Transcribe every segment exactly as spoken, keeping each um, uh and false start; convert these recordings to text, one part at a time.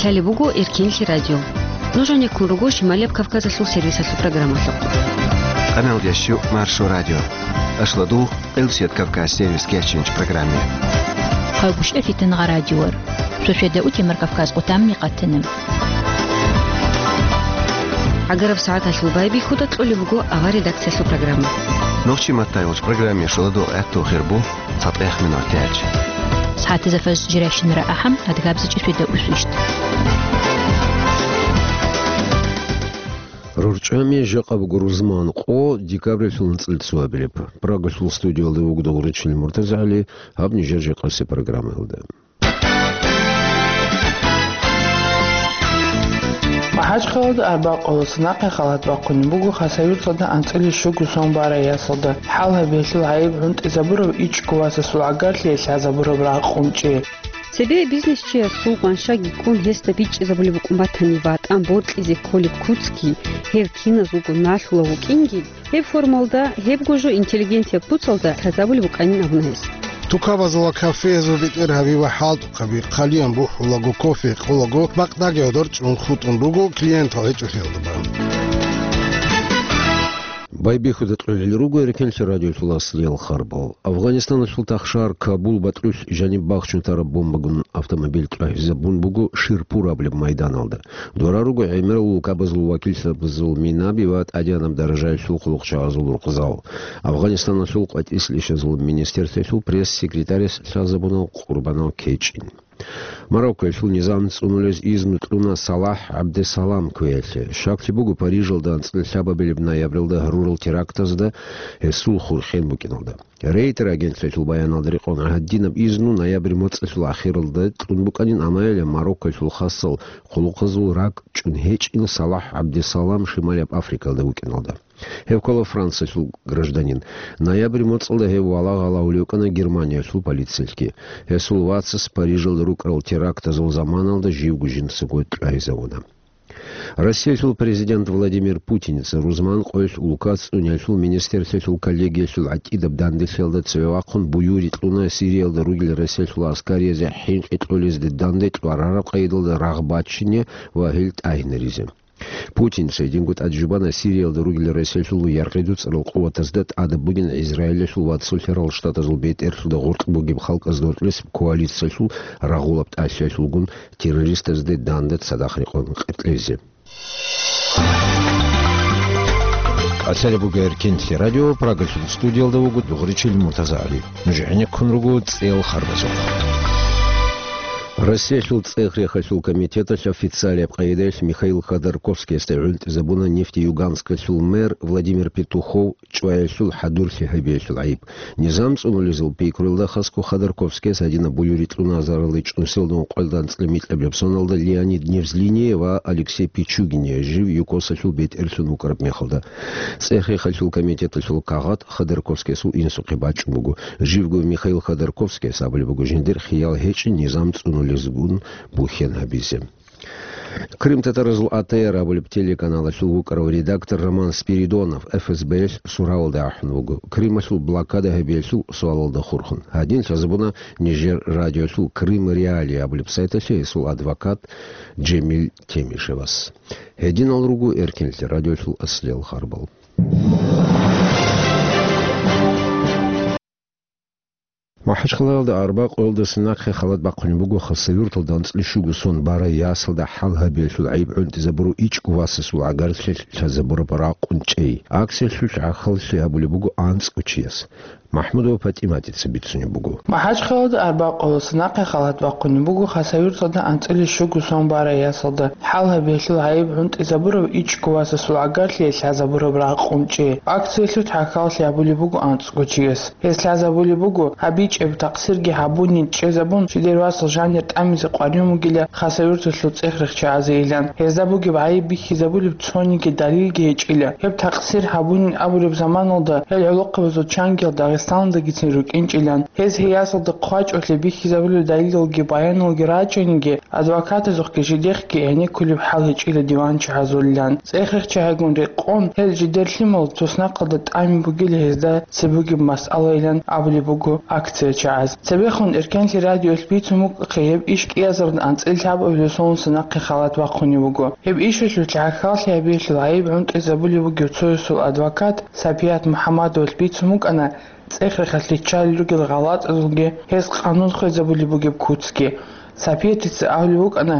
Лъалеб буго Эркенлъи радио. Нуж гьанеккун руго Шималияб Кавказалъул сервисалъул программалъухъ. Къаналдящу Маршо радио. Ашладу Элсет Кавказ сервис кечинч программе. Хъалгушев Фитнагъа радиор. Шошеда утемар Кавказ къутамми къатанам. Агараб сагӀаталъул байбихьуда кьолеб буго авар редакциялъул программа. Нохчи маттайулч программе шоладу гӀатту хирбу. ЦатӀех минуталъ. СагӀатизе фаж жирайщинара ахӀам, адгабзичӀи шведа усвищ. РорчӀами жакъа буго рузман къо декабрилъул анцӀил цоабилеб. Прагалъул студиялда вугда гъуричил МуртазагӀали, гьаб нижер жакъасе программаялда. МахӀачхъалада арбакъуласа нахъе халат бахъунеб буго Хасавюрталда анцӀила щуго сон барай ясалда. ХӀал гьабиялъул гӀайиб гӀунтӀизабурав ичӀго васасул гӀагарлъи лъазабураб рагъ къунчӀи. Цебе бизнесчиясул гъваншаги ккун гьесда бичӀчӀизабулеб букӀун батани, ватӀан бокьизе кколеб куцги, гьев киназулго налъулав вукӀинги, гьеб формалда, гьебго жо интеллигентияб куцалда лъазабулеб букӀанин абуна гьес. Тукабазул ва кафеязул бетӀергьаби ва хӀалтӀухъаби хъалиян бухӀулаго, кофе гьекъолаго, бакъдаги гӀодор чӀун хутӀун руго клиентал гьечӀолъиялда бан. Байбихьуда кьолел руго Эркенлъи радиолъул аслиял харбал. Афганистаналъул тахшар Кабул батӀрулъ жаниб бахчун тараб бомбагун автомобиль тӀвагьизабун буго Ширпур абулеб майданалда. Дора руго гӀемерал улкабазул вакилзабазул минаби ва тӀадегӀанаб даражаялъул хъулухъчагӀазул рукъзал. Афганистаналъул къватӀислъищазул министерствоялъул пресс-секретарас лъазабуна къурбанал кечӀин. Мароккоялъул низам цӀунулез изну кьуна Салахь ГӀабдесалам кквеялъе. Щаклъи буго, Парижалда анцӀила лъабабилеб ноябралда гьарурал терактазда гьесул хурхен букӀиналда. Рейтер агентлъиялъул баяналда рекъон гьадинаб изну ноябрь моцӀалъул ахиралда кьун букӀанин, амма гьеле Мароккоялъул хасал хъулухъазул ракӀ чӀун гьечӀин Салахь ГӀабдесалам Шималияб Африкалда вукӀиналда. Гьев ккола Франциялъул гражданин. Ноябрь моцӀалда гьев валагьал гьавулев вукӀана Германиялъул полициялъги. Гьесул вацас Парижалда рукӀарал терактазул заманалда живго жинцаго тӀвагьизавуна. Россиялъул президент Владимир Путинца рузман къоялъ улкац цӀуниялъул министерствоялъул коллегиялъул гӀатӀидаб данделъиялда цеве вахъун буюри кьуна Сириялда ругел Россиялъул аскариязде хӀинкъи кьолезде данде кьварараб къайдалда рагъ бачине ва гьел тӀагьинаризе. Путинца гьединго тӀад жубана Сириялда ругел Россиялъул яргъи дуцӀарал къуватазда тӀадаб бугин Израилалъул ва Цолъарал Штатазул бетӀерлъуда гъоркь бугеб халкъазда гьоркьес коалициялъул рагъулаб тӀалъиялъулгун террористазде данда цадахъ рекъон къеркьезе. Лъалеб буго Эркенлъи радио, Прагалъул студиялда вуго дугъричил МуртазагӀали. Нуж гӀенеккун руго цӀел харбазухъ. Россиялъул цӀех-рехалъул комитеталъ официалияб къайдаялъ Михаил Ходорковскиясда гӀунтӀизабуна Нефтеюганскалъул мэр Владимир Петухов чӀваялъул хӀадурлъи гьабиялъул гӀайиб. Низам цӀунулезул пикруялда хасго Ходорковскияс гьадинаб буюри кьуна азаралде чӀунселда ункъоялда анцӀила микьабилеб соналда Леонид Невзлиния ва Алексей Пичугиния жив ЮКОСалъул бетӀерлъун вукӀараб мехалда. ЦӀех-рехалъул комитеталъул кагъат Ходорковскиясул инсухъе бачӀун буго. Живго Михаил Ходорковскияс абулеб буго жиндир хиял гьечӀин низам цӀунулезгун бухьен гьабизе. Крымтатаразул А Т Р абулеб телеканалалъул вукӀарав редактор Роман Спиридонов Ф С Б-ялъ суравалда ахӀун вуго, Крымалъул блокада гьабиялъул суалалда хурхун. Гьадин лъазабуна нижер радиолъул Крым Реалии абулеб сайталъе гьесул адвокат Джемил Темишевас. Гьединал руго Эркенлъи радиолъул аслиял харбал. МахӀачхъалаялда арбакъуялдаса нахъе халат бахъунеб буго Хасавюрталда анцӀила щуго сон барай ясалда хӀал гьабиялъул гӀайиб гӀунтӀизабурав ичӀго васасул гӀагарлъи лъазабураб рагъ къунчӀей. Акциялъулъ гӀахьаллъи гьабулеб буго анцӀго чияс. МахӀмудова ПатӀиматица бицунеб буго. МахӀачхъалада арбакъуласа нахъе халат бахъунеб буго Хасавюрталда анцӀила щуго сон барай ясалда. ХӀал гьабиялъул гӀайиб гӀунтӀизабурав ичӀго васасул гӀагарлъи лъазабураб рагъ къунчӀи. Акциялъулъ гӀахьаллъи гьабулеб буго анцӀго чияс. Гьес лъазабулеб буго, гьабичӀеб такъсирги гьабунин чӀезабун, жидер васал жанир тӀамизе къваригӀун вугила Хасавюрталъул цӀех-рехчагӀазейилан. Гьезда бугеб гӀайиб бихьизабулеб цониги далилги гьечӀила. Гьеб такъсир гьабунин абулеб заманалда гьел гӀолохъабазул чангиял Дагъистаналдагицин рукӀинчӀилан. Гьез гьей ясалда хъвачӀолъи бихьизабулеб далилалги баяналги рачӀаниги, адвокатазухъги жидехъги гӀенеккулеб хӀал гьечӀила диванчагӀазулилан. ЦӀехрехчагӀигун рекъон, гьел жидер лъимал туснахъалда тӀами бугила гьезда цебе бугеб масъалайилан абулеб буго акциячагӀаз. Цебехун Эркенлъи радиоялъ бицун букӀахъе, гьеб иш кӀиазарда анцӀила лъабабилеб соналъ нахъе халат бахъунеб буго. Гьеб ишалъулъ гӀахьаллъи гьабиялъул гӀайиб гӀунтӀизабулеб бугев цоясул адвокат Сапият МухӀаммадовалъ бицун букӀана цӀехрехалъ риччалел ругел гъалатӀазулги гьез къанун хвезабулеб бугеб куцги. Сапиятица абулеб букӀана,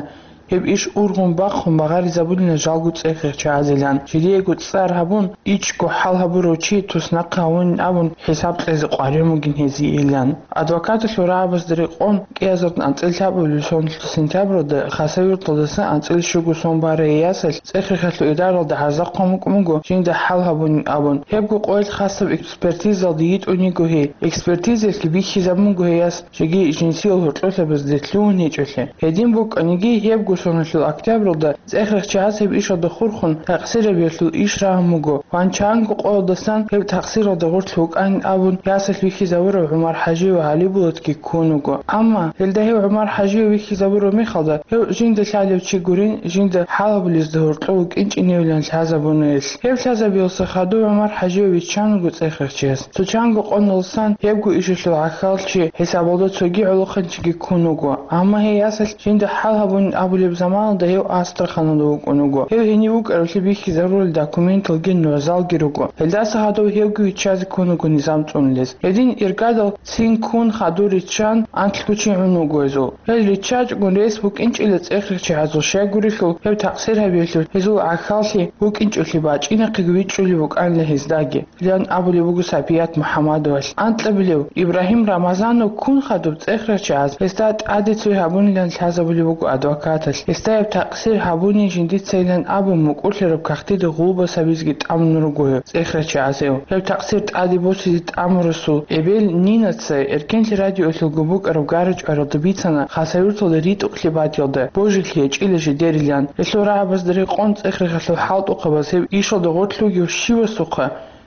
гьеб иш ургъун бахъун багъаризабулина жалго цӀехрехчагӀазилан, жидеего цӀар гьабун, ичӀго хӀал гьабурав чи туснахъе гьавунин абун хӀисаб кьезе къваригӀун бугин гьезиеилан. Адвокаталъул рагӀабазда рекъон, кӀиазарда анцӀила лъабабилеб соналъ сентябралда Хасавюрталдаса анцӀила щуго сон барай ясалъ цӀехрехалъул идаралда гӀарзахъ хъван букӀун буго, жинда хӀал гьабунин абун. Гьебго къоялъ хасаб экспертизалде йитӀун йиго гьей. Экспертизаялъги бихьизабун буго гьей яс жеги жинсиял гьоркьолъабазде лъугьун гьечӀолъи. Гьедин букӀаниги, гьебго соналъул октябралда цӀехрехчагӀаз гьеб ишалда хурхун такъсирабиялъул иш рагьун буго. Ванчанго къоялдасан гьеб такъсиралда гъорлъ вукӀанин абун, ясалъ вихьизабурав ГӀумар ХӀажиев ГӀалибулатги ккун вуго. Амма гьелда гьев ГӀумар ХӀажиев вихьизабураб мехалда, гьев жинда лъалев чи гурин, жинда хӀал гьабулезда гьоркьов вукӀинчӀиневилан лъазабуна гьелъ. Гьев лъазабиялъа хадув ГӀумар ХӀажиев виччан вуго цӀехрехчияс. Цо чанго къоналдасан гьебго ишалъул гӀахьаллъи хӀисабалда цоги гӀолохъанчиги ккун вуго. Амма гьей ясалъ жинда хӀал гьабунин абулеб заманалда гьев Астраханалда вукӀун вуго. Гьев гьенив вукӀаравлъи бихьизарулел документалги нугӀзалги руго. Гьелдаса гьадув гьевги виччазе ккун вуго низам цӀунулез. Гьедин иргадал цин ккун хадур риччан анлъго чи гӀун вуго гьезул. Гьел риччачӀогун рес букӀинчӀила цӀехрехчагӀазул, щайгурелъул гьев такъсир гьабиялъул гьезул гӀахьаллъи букӀинчӀолъи бачӀинахъеги вичӀчӀулеб букӀанила гьездаги. Лъан абулеб буго Сапият МухӀаммадовалъ. Анкьабилев Ибрагьим Рамазанов ккун хадуб цӀехрехчагӀаз гьесда тӀаде цой гьабунилан лъазабулеб буго адвокаталъ. Гьесда гьеб такъсир гьабунин жиндицайилан абун, мукӀурлъараб кагътида гъулбас гьабизеги тӀамун руго гьев цӀехрехчагӀазев. Гьеб такъсир тӀаде босизе тӀамурасул эбел Нинаца Эркенлъи радиоялъулго букӀараб гара-чӀваралда бицана Хасавюрталда ритӀухълъи батӀиялда божилъи гьечӀила жидерилан. Гьелъул рагӀабазда рекъон цӀехрехалъул хӀалтӀухъабаз гьеб ишалда гъорлъ вугев щивасухъа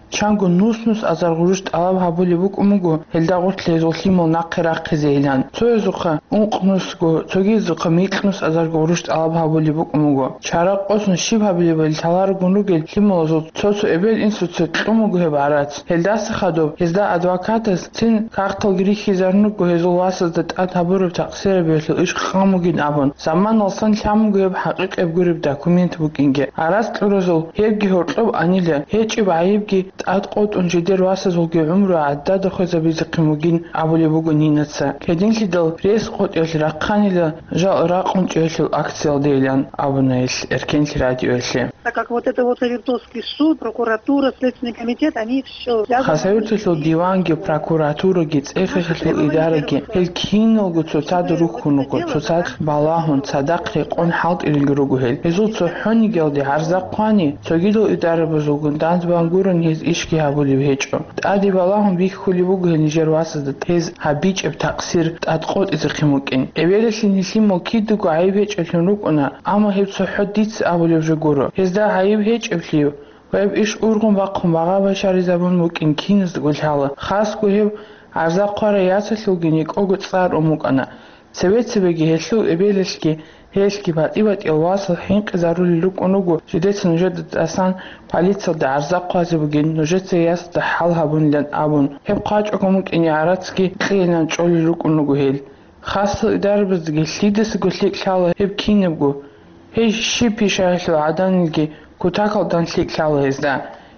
чанго нус-нус азар гъурущ тӀалаб гьабулеб букӀун буго, гьелда гъорлъ гьезул лъимал нахъе рахъизейилан. Цоязухъа ункънусго, цогидазухъа микьнус азар гъурущ тӀалаб гьабулеб букӀун буго. Чара къосун щиб гьабилебали лъаларогун ругел лъималазул цо-цо эбел-инсуца кьун буго гьеб гӀарац. Гьелдаса хадуб гьезда адвокатас цин кагъталги рихьизарун руго гьезул васазда тӀад гьабураб такъсирабиялъул иш хъан бугин абун. Заманалсан лъан буго гьеб хӀакъикъаб гуреб документ букӀинги. Гьараз кьуразул гьебги гьоркьоб анила, гьечӀеб гӀайибги тӀад къотӀун жидер васазулги гӀумру гӀадада хвезабизехъин бугин абулеб буго Нинаца. Гьединлъидал рес къотӀиялъ рахъанила жал ракъун чӀеялъул акциялдейилан абуна гьелъ Эркенлъи радиоялъе. Так как вот это вот Савертовский суд, прокуратура, Следственный комитет, они все связаны. Хасавюрталъул диванги, прокуратураги, цӀехрехалъул идараги, гьел киналго цоцазда рухьун руго, цоцазда балагьун, цадахъ рекъон хӀалтӀилелги руго гьел. Гьезул цохӀонигиялде гӀарза хъвани, цогидал идарабазулгун данде бан гурони гьез ишги гьабулеб гьечӀо. ТӀаде балагьун бихьулеб буго гьел нижер васазда гьез гьабичӀеб такъсир тӀад къотӀизехъин букӀин. Эбелалъе нилъ лъимал кидаго гӀайиб гьечӀеблъун рукӀуна, амма гьеб цохӀо дица абулеб жо гуро. Гьезда гӀайиб гьечӀеблъи ва гьеб иш ургъун бахъун багъа башаризабун букӀин киназдаго лъала, хасго гьеб гӀарза хъварай ясалъулги никӀого цӀар ун букӀана. Цебе-цебеги гьелъул эбелалъги гьелъги батӀи-батӀиял васал хӀинкъизарулел рукӀун руго, жидеца нужеда тӀасан полициялда гӀарза хъвазе бугин, нужеца ясалда хӀал гьабунилан абун. Гьеб хъвачӀого букӀине гӀарацги кьейилан чӀолел рукӀун руго гьел. Хасал идарабаздаги лъидасаго лъикӀ лъала гьеб кинабго. Гьей щиб пишаялъул гӀаданилги кутакалдан лъикӀ лъала гьезда.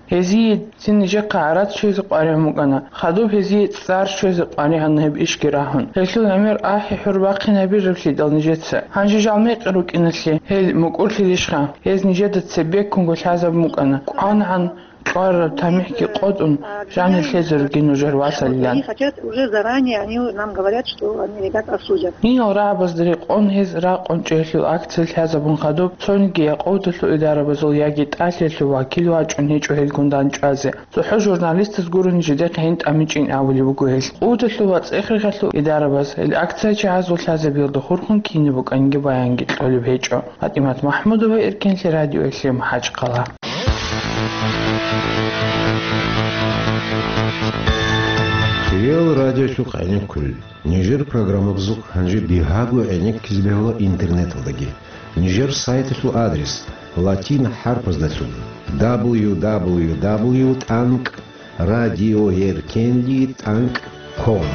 Гьезие цин нижехъа гӀарац щвезе къваригӀун букӀана, хадуб гьезие цӀар щвезе къваригӀана гьеб ишги рагьун. Гьелъул гӀемер ахӀи-хӀур бахъин гьабираблъидал нижеца. Гьанже жал мекъи рукӀиналъе гьел мукӀурлъилищха? Гьез нижеда цебеккунго лъазабун букӀана. КӀванагӀан кьвараб тамихӀги къотӀун, жанир лъезе ругин нужер васалилан. Они хотят уже заранее, они нам говорят, что они ребят осудят. Гьинал рагӀабазда рекъон гьез ракъун чӀеялъул акция лъазабун хадуб, цониги якъовдалъул идарабазул яги тӀалъиялъул вакил вачӀун гьечӀо гьелгун дандчӀвазе. ЦохӀо журналистаз гурони жидехъе гьин тӀамичӀин абулеб буго гьел. Къуваталъул ва цӀехрехалъул идарабаз гьел акция чагӀазул лъазабиялда хурхун кинаб букӀаниги баянги кьолеб гьечӀо. ПатӀимат МахӀмудова, Эркенлъи радиоялъе, МахӀачхъала. Ил радиолъухъ гӀенеккулел. Нижер программабазухъ гьанже бигьаго гӀенеккизе бегьула интернеталдаги. Нижер сайталъул адрес латин хӀарпаздалъун: дабл ю дабл ю дабл ю тӀанкӀ радиоеркенлъи тӀанкӀ ком.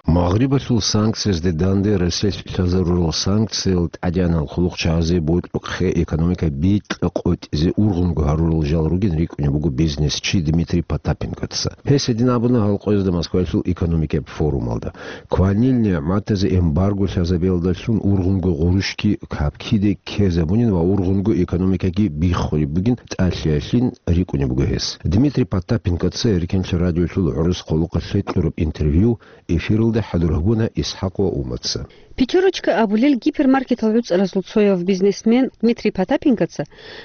Магърибалъул санкциязде данде Россиялъ лъазарурал санкциял тӀадегӀанал хъулухъчагӀазе бокьухъе экономика бикьа-къотӀизе ургъунго гьарурал жал ругин рикӀкӀунеб буго бизнесчи Дмитрий Потапенкоца. Гьес гьедин абуна гьал къоязда Москваялъул экономикаб форумалда. Кванил нигӀматазе эмбарго лъазабиялдалъун ургъунго гъурущги капкиде ккезабунин ва ургъунго экономикаги биххулеб бугин тӀалъиялъин рикӀкӀунеб буго гьес. Дмитрий Потапенкоца Эркенлъи радиолъул гӀурус хъулухъалъе кьураб интервью эфиралда хӀадур гьабуна ИсхӀакъ ва Умаца. «Пятерочка» абулел гипермаркетал гӀуцӀаразул цояв бизнесмен Дмитрий Потапенкоца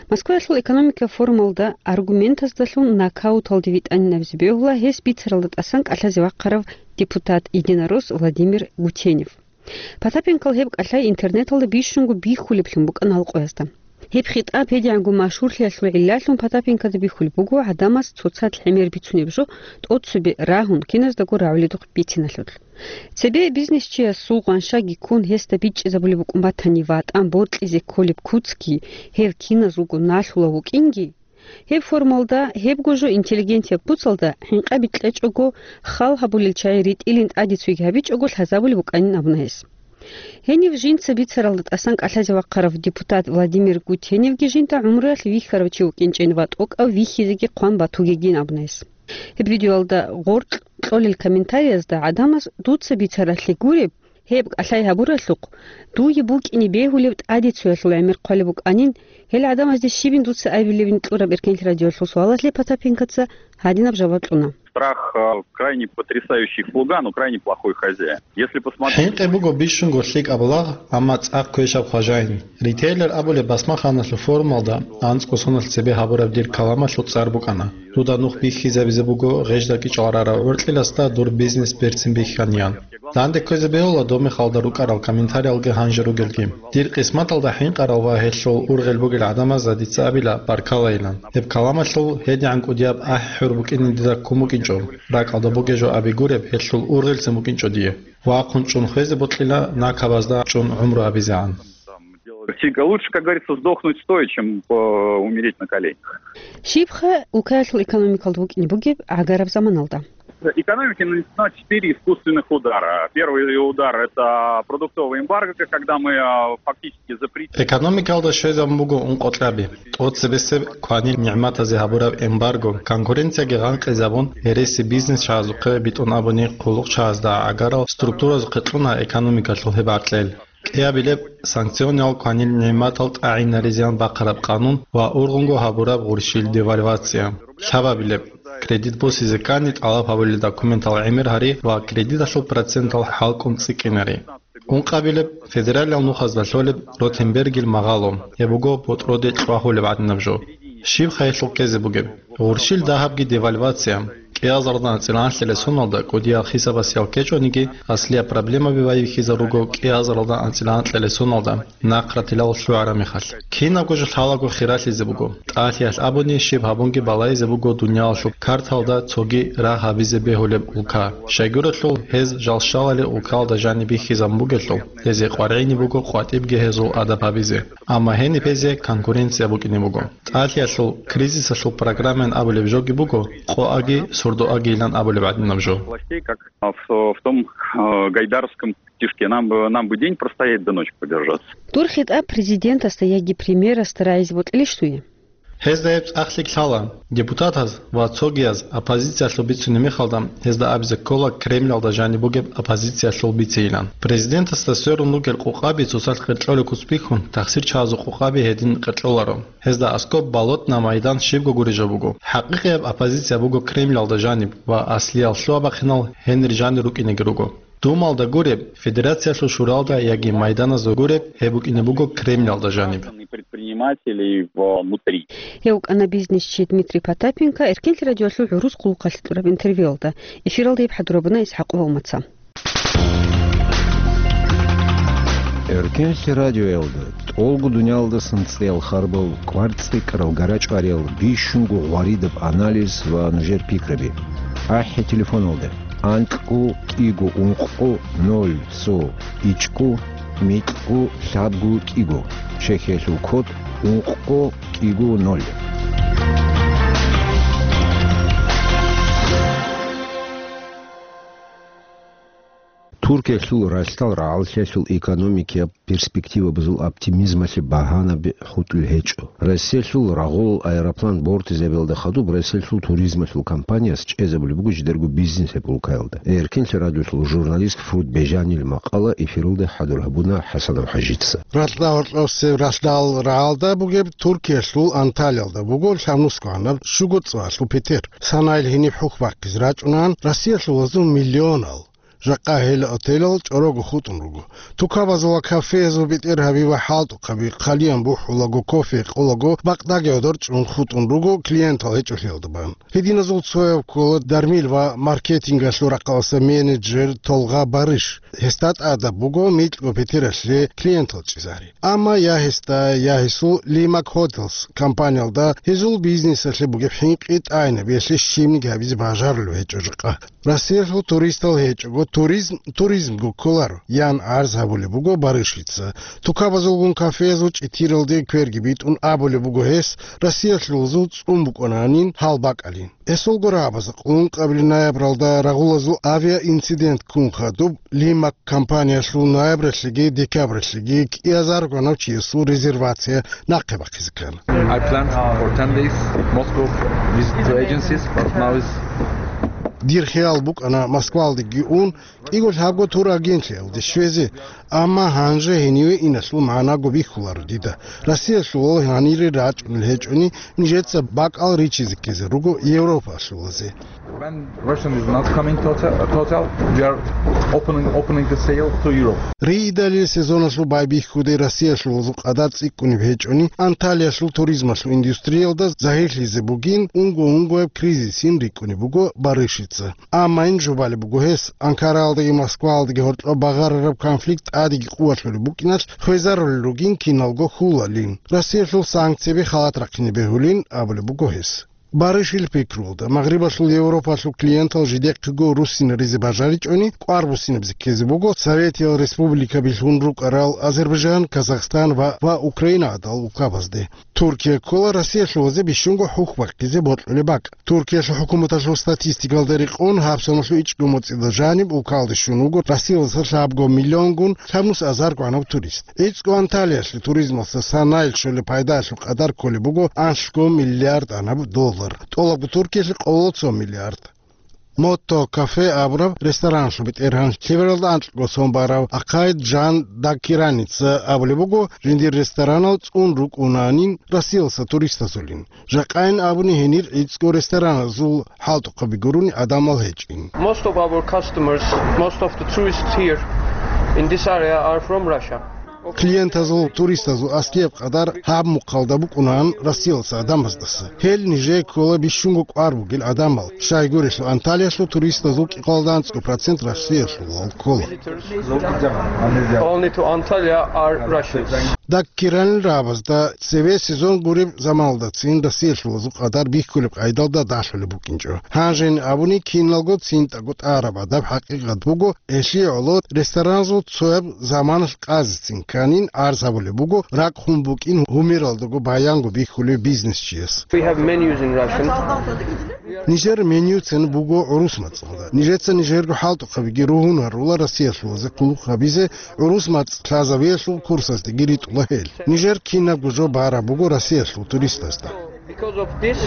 Москваялъул экономика форумалда аргументаздалъун нокауталде витӀанин абизе бегьула гьес бицаралда тӀасан кӀалъазе вахъарав депутат-единорос Владимир Гутенев. Потапенкол гьеб кӀалъай интернеталда бищунго бихьулеблъун букӀана гьал къоязда. Гьеб хитӀаб гьедигӀанго машгьурлъиялъул гӀиллалъун Потапенкода бихьулеб буго гӀадамаз цоцазда гӀемер бицунеб жо тӀоцебе рагьун, киназдаго рагӀуледухъ бициналъул. Цебе бизнесчиясул гъаншаги ккун гьесда бичӀчӀизабулеб букӀун батани, ватӀан бокьизе кколеб куцги гьев киназ руго налъулев вукӀинги, гьеб форумалда гьебго жо интеллигенцияб куцалда хӀинкъаби кьечӀого, хал гьабулел чагӀи ритӀилин тӀаде цойги гьабичӀого лъазабулеб букӀанин абуна гьес. Гьенив жинца бицаралда тӀасан кӀалъазе вахъарав депутат Владимир Гутеневги жинда гӀумруялъ вихьарав чи вукӀинчӀин ва тӀокӀав вихьизеги хъван батугейин абуна гьес. Гьеб видеоялда гъоркь кьолел комментариязда гӀадамаз дуца бицаралъе гуреб, гьеб кӀалъай гьабуралъухъ, дуе букӀине бегьулеб тӀаде цоялъул гӀемер хъвалеб букӀанин, гьел гӀадамазде щибин дуца абилебин кьураб Эркенлъи радиоялъул суалалъе Потапенкоца гьадинаб жаваб кьуна. Страх, э, крайне потрясающий слуга, но крайне плохой хозяин. Если посмотреть... ХӀинкъи буго бищунго лъикӀаб лагъ, амма цӀакъ квешаб хважаин. Ритейлер абулеб басмаханалъул форумалда анцӀго соналъ цебе гьабураб дир каламалъул цӀар букӀана: «Дуда нух бихьизабизе буго гъежда кӀичӀал рарав гӀоркьиласда дур бизнес берцин бихьаниян». Данде кквезе бегьула доб мехалда рукӀарал комментариялги гьанже ругелги. Дир къисматалда хӀинкъарал ва гьелъул ургъел бугел гӀадамазда дица абила баркалайилан. Гьеб каламалъул гьедигӀан кӀудияб ахӀи-хӀур букӀине дида ккун букӀинчӀо. РакӀалда бугеб жо аби гуреб, гьелъул ургъелцин букӀинчӀо дие. Вахъун чӀун хвезе бокьила, накабазда чӀун гӀумру гьабизегӀан. Всегда лучше, как говорится, сдохнуть стоя, чем, э, умереть на коленях. Щибха улкаялъул экономикалда букӀине бугеб гӀагараб заманалда? Экономике нанесено четыре искусственных удара. Первый удар — это продуктовый эмбарго, когда мы, э, фактически запретили... Экономикалда щвезабун буго ункъо кьаби. ТӀоцебесеб кванил нигӀматазе гьабураб эмбарго, конкуренцияги гъанкъизабун, гьереси бизнесчагӀазухъе, битӀун абуни, хъулухъчагӀазда гӀагарал структуразухъе кьуна экономикалъул гьеб гӀаркьел. КӀиабилеб, санкциониял кванил нигӀматал тӀагӀинаризеян бахъараб къанун ва ургъунго гьабураб гъурщил девальвация. Лъабабилеб, кредит босизе ккани тӀалаб гьабулел документал гӀемер гьари ва кредиталъул процентал хӀалкӀун цӀикӀкӀинари. Ункъабилеб, федералиял нухазда лъолеб Ротенбергил магъало, гьеб буго ботӀроде кьвагьулеб гӀадинаб жо. Щибха гьелъул ккезе бугеб? Гъурщил дагьабги девальвация. КӀиазаралда анцӀила анлъила соналда кӀудиял хисабасиял ккечӀониги, аслияб проблемаби байбихьизаруго кӀиазаралда анцӀила анлъила соналда нахъратилал лъугӀараб мехалъ. Кинабго жо лъалаго хиралъизе буго. ТӀалъиялъ абуни, щиб гьабунги балайзе буго дуниялалъул карталда цоги рагь гьабизе бегьулеб улка. Щайгурелъул гьез жал щалали улкалда жаниб бихьизабун бугелъул, гьезие къваригӀине буго къватӀибги гьезул адаб гьабизе. Амма гьениб гьезие конкуренция букӀине буго. ТӀалъиялъул кризисалъул программаян абулеб жоги буго, къоаги, сурдоагийилан абулеб гӀадинаб жо. Властей, как в, в том, э, гайдаровском стишке: «Нам бы, нам бы день простоять, да ночь продержаться». Дур хитӀаб президентасда яги премьерасда рагӀизе бокьилищ дуе? Гьезда гьеб цӀакълъи лъала. Депутатаз ва цогияз оппозициялъул бицунеб мехалда, гьезда абизе ккола Кремльалда жаниб бугеб оппозициялъул бицейилан. Президентасда сверун ругел къукъаби цоцалъ къеркьолеб куц бихьун, тахсирчагӀазул къукъаби гьедин къеркьоларо. Гьезда аскӀоб болотный майдан щибго гуреб жо буго. ХӀакъикъияб оппозиция буго Кремльалда жаниб ва аслиял лъугьа-бахъинал гьенир жанир рукӀинеги руго. Думалда гуреб, Федерациялъул шуралда яги майданазда гуреб, гьеб букӀине буго Кремльалда жаниб. Предпринимателей внутри. Гьев вукӀана бизнесчи Дмитрий Потапенко Эркенлъи радиоялъул гӀурус хъулухъалъе кьураб интервьюялда. Эфиралда гьеб хӀадур гьабуна ИсхӀакъ ва Умаца. Эркенлъи радиоялда тӀолго дуниялдасан цӀеял харбал, кӀвар-цӀикӀкӀарал гарачӀвариял, бищунго гъваридаб анализ ва нужер пикраби. АхӀи телефоналда: анкьго кӀиго ункъго ноль цо ичӀго микьго лъабго кӀиго, чехьиялъул код ункъго кӀиго ноль. Туркиялъул ралъдал рагӀаллъиялъул экономикияб перспективабазул оптимизмалъе багьанаби хутӀулел гьечӀо. Россиялъул рагъулал аэроплан бортизабиялда хадуб Россиялъул туризмалъул компанияс чӀезабулеб буго жидерго бизнес гьеб улкаялда. Эркенлъи радиолъул журналист Фруд Бежанил макъала эфиралда хӀадур гьабуна ХӀасанов ХӀажица. Ралъдал гьоркьосеб ралъдал рагӀалда бугеб Туркиялъул Анталиялда буго лъабнусго гӀанаб щуго цӀалъул петер. Санайил гьениб хӀухь бахъизе рачӀунан Россиялъул вазун миллионал. Жакъа гьел отелал чӀорого хутӀун руго. Тукабазул ва кафеязул бетӀергьаби ва хӀалтӀухъаби хъалиян бухӀулаго, кофе къолаго, бакъдаги гӀодор чӀун хутӀун руго клиентал гьечӀолъиялда бан. Гьединазул цояб ккола дармил ва маркетингалъул рахъалъа менеджер Толгъа Барыш. Гьесда тӀадаб буго микьго петералъе клиентал чӀезари. Амма я гьесда, я гьесул Лимак Хотелс компаниялда гьезул бизнесалъе бугеб хӀинкъи тӀайнабиялъе щибниги гьабизе бажарулев гьечӀо жакъа. Россиялъул туристал гьечӀого туризм туризмго кколаро, ян гӀарз гьабулеб буго Барышица. Тукабазулгун кафеязул чӀитиралде кверги битӀун абулеб буго гьес, Россиялъул вазул цӀун букӀунанин гьал бакӀалин. Эсулго рагӀабазда къулун къабили ноябралда рагъулазул авиаинцидент ккун хадуб, Лимак компаниялъул ноябралъеги декабралъеги кӀиазар гьанав чиясул резервация нахъе бахъизе ккана. I planned for ten days Moscow visit to agencies, but now is Дир хиял букӀана Москвалдеги ун, кӀиго лъабго турагенталде щвезе, амма гьанже гьениве иналъул магӀнаго бихьуларо дида. Россиялъул гьанире рачӀунел гьечӀони, нижеца бакӀал ричизе ккезе руго Европалъулазе. When Russian is not coming to hotel, to hotel, we are opening, opening the sale to Europe. Риидалил сезоналъул байбихьуде Россиялъулазул къадар цӀикӀкӀунеб гьечӀони, Анталиялъул туризмалъул индустриялда загьирлъизе бугин, унго-унгояб кризисин рикӀкӀунеб буго Барышица. Амма ин жубалеб буго гьес, Анкараялдаги Москваялдаги гьоркьоб багъарараб конфликт тӀадеги къуваталъулеб букӀиналъ хвезарулел ругин киналго хьулалин. Россиялъул санкцияби халат рахъине бегьулин абулеб буго гьес. Барышил пикруялда, Магърибалъул Европалъул клиентал жидехъего руссинаризе бажаричӀони, кӀвар буссинабизе ккезе буго Советиял республикаби лъун рукӀарал Азербайджан, Казахстан ва, ва Украина гӀадал улкабазде. Туркия ккола Россиялъулазе бищунго хӀухь бахъизе бокьулеб бакӀ. Туркиялъул хӀукуматалъул статистикалда рекъон, гьабсаналъул ичӀго моцӀида жаниб улкалде щун вуго Россиялдаса лъабго миллионгун лъабнус азар гӀанав турист. ГӀицӀго Анталиялъе туризмалъа санайил щолеб пайдаялъул къадар кколеб буго анлъго миллиард гӀанаб доллар, тӀолабго Туркиялъе къоло цо миллиард. Мотто кафе абураб рестораналъул бетӀергьан, лъебералда анкьго сон барав Акъайд Жан Даккираница абулеб буго, жиндир ресторанал цӀун рукӀунанин Россиялдаса туристазулин. Жакъайин абуни гьенир гӀицӀго рестораналъул хӀалтӀухъаби гурони гӀадамал гьечӀин. Most of our customers, most of the tourists here in this area are from Russia. Клиентазул, туристазул аскияб къадар гьаб мухъалда букӀунан Россиялдаса гӀадамаздаса. Гьел нижее ккола бищунго кӀвар бугел гӀадамал. Щайгурелъул Анталиялъул туристазул кӀикъоялда анцӀго процент Россиялъулал ккола. Only to Antalya are Russians. Даккиранил рагӀабазда цеве сезон гуреб заманалдацин Россиялъулазул къадар бихьулеб къайдалда далъулеб букӀинчӀо. Гьанжени абуни киналго цинтӀаго тӀараб гӀадаб хӀакъикъат буго, гьелъие гӀоло рестораназул цояб заманалъ къазецин кканин гӀарз гьабулеб буго ракӀ хун букӀин гьумералдаго баянго бихьулев бизнесчияс. We have menus in Russian. Нижер менюцин буго гӀурус мацӀалда. Нижеца нижерго хӀалтӀухъабиги ругьун гьарула Россиялъулазе къулухъ гьабизе, гӀурус мацӀ лъазавиялъул курсаздаги ритӀула гьел. Нижер кинабго жо бараб буго Россиялъул туристазда. Because of this,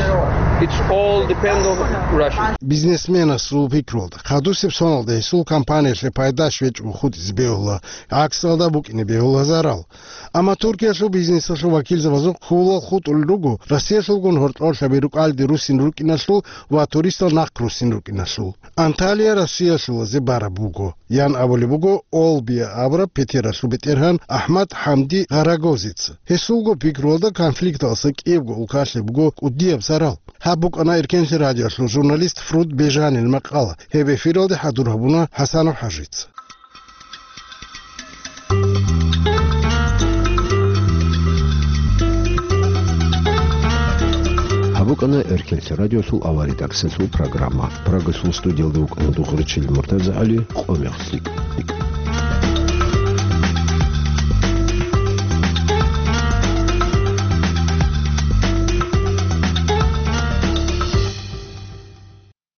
it's all depend on Russia. Бизнесменасул пикруялда, хадусеб соналда гьесул компаниялъе пайда щвечӀого хутӀизе бегьула, гӀаксалда букӀине бегьула зарал. Амма Туркиялъул бизнесалъул вакилзабазул хьулал хутӀулел руго Россиялъулгун гьоркьорлъаби рукӀалде руссин рукӀиналъул ва туристал нахъ руссин рукӀиналъул. Анталия Россиялъулазе бараб буго, ян абулеб буго Олбия абураб петералъул бетӀергьан АхӀмад ХӀамди Гъарагозица. Гьесулго пикруялда конфликталъа кӀиябго улкалъе буго кӀудияб зарал. Гьаб букӀана Эркенлъи радиолъул журналист Фруд Бежанил макъала. Гьеб эфиралде хӀадур гьабуна ХӀасанов ХӀажица. Къана Эркенлъи радиолъул авария таксилъул программа. Прагасул студиялда вукӀана дугӀричил МуртазагӀали, къо-мех лъикӀ.